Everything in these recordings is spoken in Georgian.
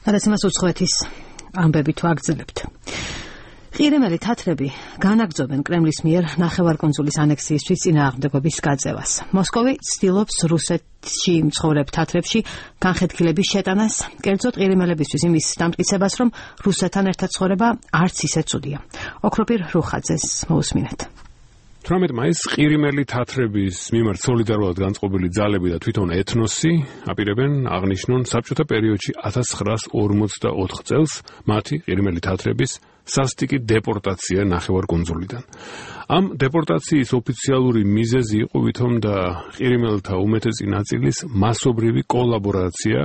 გადაცემას უცხოეთის ამბები თუ აგრძელებთ. ყირიმელი თათრები განაგრძობენ კრემლის მიერ ნახევარკუნძულის ანექსიისთვის წინააღმდეგობის გაწევას. მოსკოვი ცდილობს რუსეთში მცხოვრებ თათრებში განხეთქილების შეტანას, კერძოდ ყირიმელებისთვის იმის დამტკიცებას, რომ რუსეთთან ერთად ცხოვრება არც ისე ცუდია. ოქროპირ რუხაძეს მოусმინეთ. 18 მაისს ყირიმელი თათრების მიმართ სოლიდარულად განწყობილი ძალები და თვითონ ეთნოსი აპირებენ აღნიშნონ საბჭოთა პერიოდში 1944 წელს მათი ყირიმელი თათრების სასტიკი დეპორტაცია ნახევარკუნძულიდან. ამ დეპორტაციის ოფიციალური მიზეზი იყო ვითომ და ყირიმელთა უმეტესი ნაწილის მასობრივი კოლაბორაცია,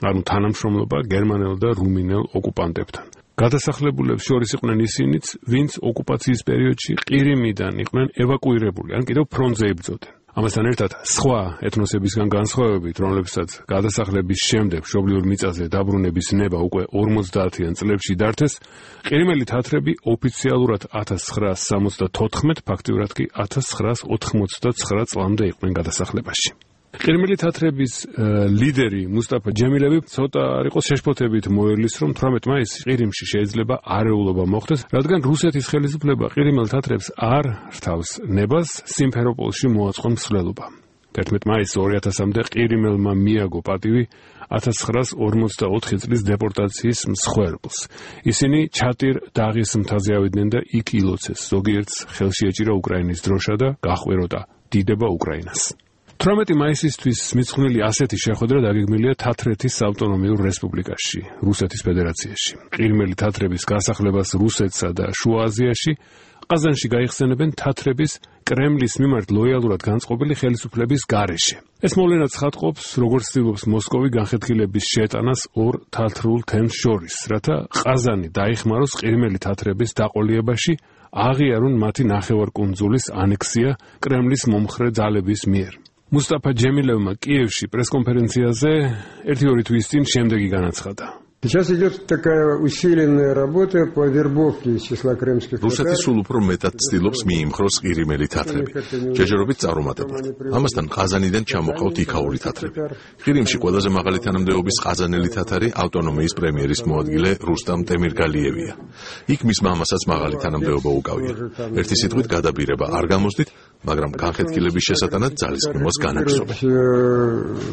ანუ თანამშრომლობა გერმანელ და რუმინელ ოკუპანტებთან. გადასახლებულებს შორის იყვნენ ისინიც, ვინც ოკუპაციის პერიოდში ყირიმიდან იყვნენ ევაკუირებული, ან კიდევ ფრონტზე იბრძოდნენ. ამასთან ერთად სხვა ეთნოსებისგან განსხვავებით, რომლებსაც გადასახლების შემდეგ მშობლიურ მიწაზე დაბრუნების ნება უკვე 50-იან წლებში დართეს, ყირიმელი თათრები ოფიციალურად 1974, ფაქტიურად კი 1989 წლამდე იყვნენ გადასახლებაში. ყირიმელი თათრების ლიდერი მუსტაფა ჯემილევი ცოტა არ იყოს შეშფოთებით მოელის, რომ 18 მაისს ყირიმში შეიძლება არეულობა მოხდეს, რადგან რუსეთის ხელისუფლება ყირიმელ თათრებს არ რთავს ნებას სიმფეროპოლში მოაწყონ მსვლელობა. 11 მაისს 2000-მდე ყირიმელმა მიაგო პატივი 1944 წლის დეპორტაციის მსხვერპლს. ისინი ჩატირ დაღის მთაზე ავიდნენ და იქ ილოცეს. ზოგიერთს ხელში ეჭირა უკრაინის დროშა და გაჰყვეროდა დიდება უკრაინას. 18 მაისისთვის მიძღვნილი ასეთი შეხვედრა დაგეგმილია თათრეთის ავტონომიურ რესპუბლიკაში, რუსეთის ფედერაციაში. ყირიმელი თათრების გასახლებას რუსეთსა და შუა აზიაში ყაზანში გაიხსენებენ თათრების კრემლის მიმართ ლოიალურად განწყობილი ხელისუფლების გარეშე. ეს მოვლენა ცხადყოფს, როგორც ცდილობს მოსკოვი განხეთქილების შეტანას ორ თათრულ თემს შორის, რათა ყაზანი დაიხმაროს ყირიმელი თათრების დაყოლიებაში, აღიარონ მათი ნახევარკუნძულის ანექსია კრემლის მომხრე ძალების მიერ. მუსტაფა ჯემილევმა კიევში პრესკონფერენციაზე 1-2 თვის წინ შემდეგი განაცხადა. Сейчас идет такая усиленная работа по вербовке из числа крымских татар. რუსეთი სულ უფრო მეტად ცდილობს მიიმხროს ყირიმელი თათრები, ჯერჯერობით წარუმატებლად. ამასთან ყაზანიდან ჩამოყავთ იქაური თათრები. ყირიმში ყველაზე მაღალი თანამდებობის ყაზანელი თათარი ავტონომიის პრემიერის მოადგილე რუსტამ ტემირგალიევია. იქ მის მამასაც მაღალი თანამდებობა უკავია. ერთი სიტყვით გადაბირება არ გამოსდით, მაგრამ განხეთქილების შესატანად ძალისყრმოს განაგრძობენ.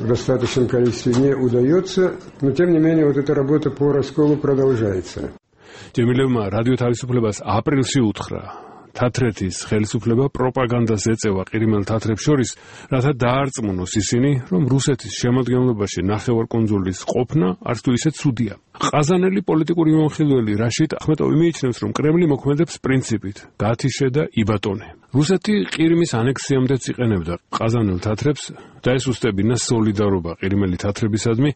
Достаточно количестве не удается, но тем не менее вот эта работа по расколу продолжается. ჯემილევმა რადიო თავისუფლებას აპრილში უთხრა, თათრეთის ხელისუფლება პროპაგანდას ეწევა ყირიმელ თათრებს შორის, რათა დაარწმუნოს ისინი, რომ რუსეთის შემადგენლობაში ნახევარკუნძულის ყოფნა არც თუ ისე ცუდია. ყაზანელი პოლიტიკური მომხილველი რაშიდ ახმეტოვი მიიჩნევს, რომ კრემლი მოქმედებს პრინციპით გათიშე და იბატონე. რუსეთი ყირიმის ანექსიამდეც იყენებდა ყაზანელ თათრებს და ეს უსტებინა სოლიდარობა ყირიმელი თათრებისადმი,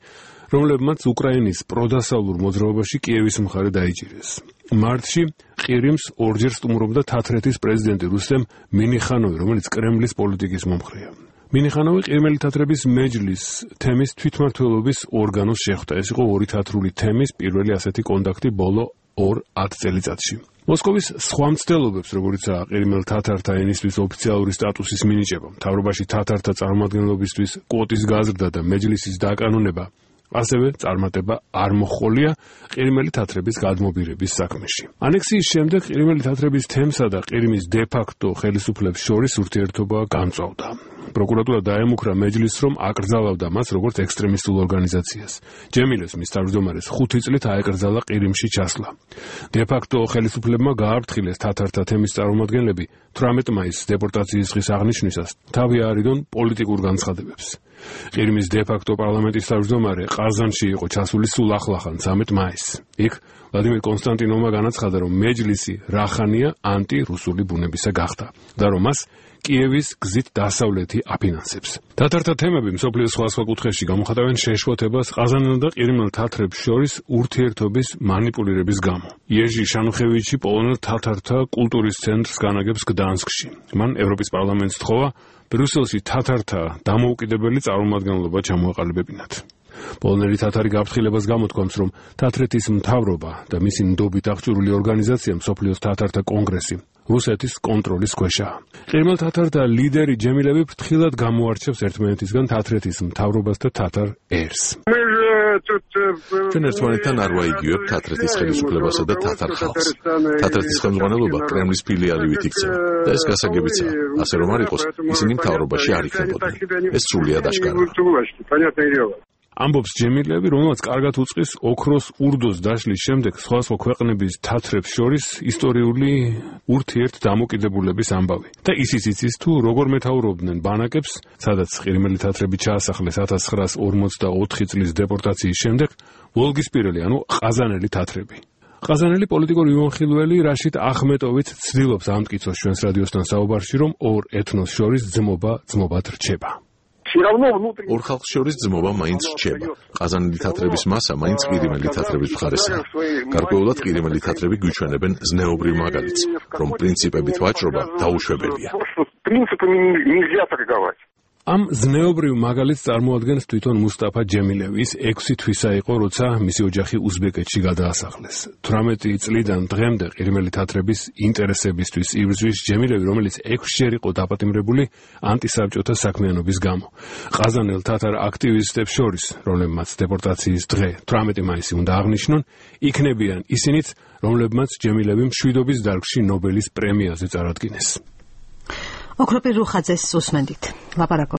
რომლებმაც უკრაინის პროდასავლურ მოძრაობაში კიევის მხარე დაიჭირეს. მარტში ყირიმს ორჯერ სტუმრობდა თათრეთის პრეზიდენტი რუსტემ მინიხანოვი, რომელიც კრემლის პოლიტიკის მომხრეა. მინიხანოვი ყირიმელი თათრების მეჯლის თემის თვითმმართველობის ორგანოს შეხვდა. ეს იყო ორი თათრული თემის პირველი ასეთი კონტაქტი ბოლო 2 წელიწადში. მოსკოვის სხვა მცდელობებს, როგორიცაა ყირიმელ თათართა ენისთვის ოფიციალური სტატუსის მინიჭება, მთავრობაში თათართა წარმომადგენლობისთვის კვოტის გაზრდა და მეჯლისის დაკანონება, ასევე წარმატება არ მოჰყოლია ყირიმელი თათრების გადმობირების საქმეში. ანექსიის შემდეგ ყირიმელი თათრების თემსა და ყირიმის დე-ფაქტო ხელისუფლების შორის ურთიერთობა გამწვავდა. პროკურატურა დაემუქრა მეჯლისს, რომ აკრძალავდა მას როგორც ექსტრემისტულ ორგანიზაციას. ჯემილევს მის თავმჯდომარეს 5 წლით აეკრძალა ყირიმში ჩასვლა. დე-ფაქტო ხელისუფლებმა გააფრთხილეს თათართა თემის წარმომადგენლები 18 მაისს დეპორტაციის დღის აღნიშვნისას თავი აარიდონ პოლიტიკურ განცხადებებს. ყირიმის დე-ფაქტო პარლამენტის თავმჯდომარე ყაზანში იყო ჩასული სულ ახლახან 13 მაისს. იქ ვლადიმერ კონსტანტინოვმა განაცხადა, რომ მეჯლისი რახანია ანტი-რუსული ბუნებისა გახდა და რომ მას კიევის გზით დასავლეთი აფინანსებს. თათართა თემები მსოფლიოს სხვა კუთხეში გამოხატავენ შეშფოთებას ყაზანელ და ყირიმელ თათრებს შორის ურთიერთობის მანიპულირების გამო. იეჟი შანუხევიჩი პოლონელ თათართა კულტურის ცენტრს განაგებს გდანსკში. მან ევროპის პარლამენტს თხოვა ბრიუსელში თათართა დამოუკიდებელი წარმომადგენლობა ჩამოაყალიბებინათ. პოლონელი თათარი გაფრთხილებას გამოთქვამს, რომ თათრეთის მთავრობა და მისი ნდობით აღჭურვილი ორგანიზაცია მსოფლიოს თათართა კონგრესი რუსეთის კონტროლის ქვეშაა. ყირიმელ თათართა ლიდერი ჯემილევი ფრთხილად გამოარჩევს ერთმანეთისგან თათრეთის მთავრობას და თათარ ერს. Мы же ჩვენ ერთმანეთთან არ ვაიგივებ თათრეთის ხელისუფლებასა და თათარ ხალხს. თათრეთის ხელმძღვანელობა კრემლის ფილიალივით იქცევა და ეს გასაგებიცაა. ასე რომ არ იყოს, ისინი მთავრობაში არ იქნებოდნენ. ეს სრულიად აშკარაა. ამბობს ჯემილევი, რომელსაც კარგად უწყის ოქროს ურდოს დაშლის შემდეგ სხვადასხვა ქვეყნების თათრებს შორის ისტორიული ურთიერთდამოკიდებულების ამბავი. და ისიც იცის თუ როგორ მეთაურობდნენ ბანაკებს, სადაც ყირიმელი თათრები ჩაასახლეს 1944 წლის დეპორტაციის შემდეგ, ვოლგისპირელი, ანუ ყაზანელი თათრები. ყაზანელი პოლიტიკური მიმოხილველი რაშიდ ახმეტოვიც ცდილობს ამტკიცოს ჩვენს რადიოსთან საუბარში, რომ ორ ეთნოს შორის ძმობად რჩება. ორ ხალხს შორის ძმობა მაინც რჩება. ყაზანელი თათრების მასა მაინც ყირიმელი თათრების მხარესაა. გარკვეულად ყირიმელი თათრები გვიჩვენებენ ზნეობრივ მაგალითს, რომ პრინციპებით ვაჭრობა დაუშვებელია. ამ ზნეობრივ მაგალითს წარმოადგენს თვითონ მუსტაფა ჯემილევი. ის 6 თვისა იყო, როცა მისი ოჯახი უზბეკეთში გადაასახლეს. 18 წლიდან დღემდე ყირიმელი თათრების ინტერესებისთვის იბრძვის ჯემილევი, რომელიც 6-ჯერ იყო დაპატიმრებული ანტისაბჭოთა საქმიანობის გამო. ყაზანელ თათარ აქტივისტებს შორის, რომლებმაც დეპორტაციის დღე 18 მაისი უნდა აღნიშნონ, იქნებიან ისინიც, რომლებმაც ჯემილევი მშვიდობის დარგში ნობელის პრემიაზე წარადგინეს. ოქროპირ რუხაძეს უსმენდით. ლაპარაკობ